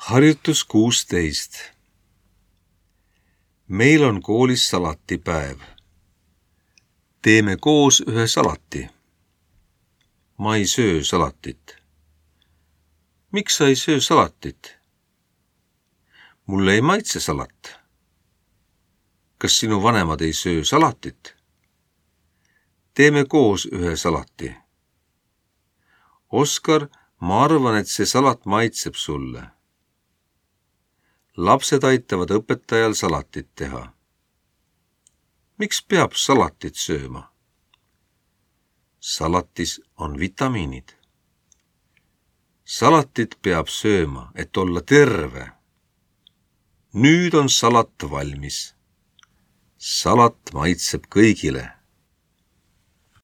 Harjutus 16. Meil on koolis salatipäev. Teeme koos ühe salati. Ma ei söö salatit. Miks sa ei söö salatit? Mulle ei maitse salat. Kas sinu vanemad ei söö salatit? Teeme koos ühe salati. Oskar, ma arvan, et see salat maitseb sulle. Lapsed aitavad õpetajal salatit teha. Miks peab salatit sööma? Salatis on vitamiinid. Salatit peab sööma, et olla terve. Nüüd on salat valmis. Salat maitseb kõigile.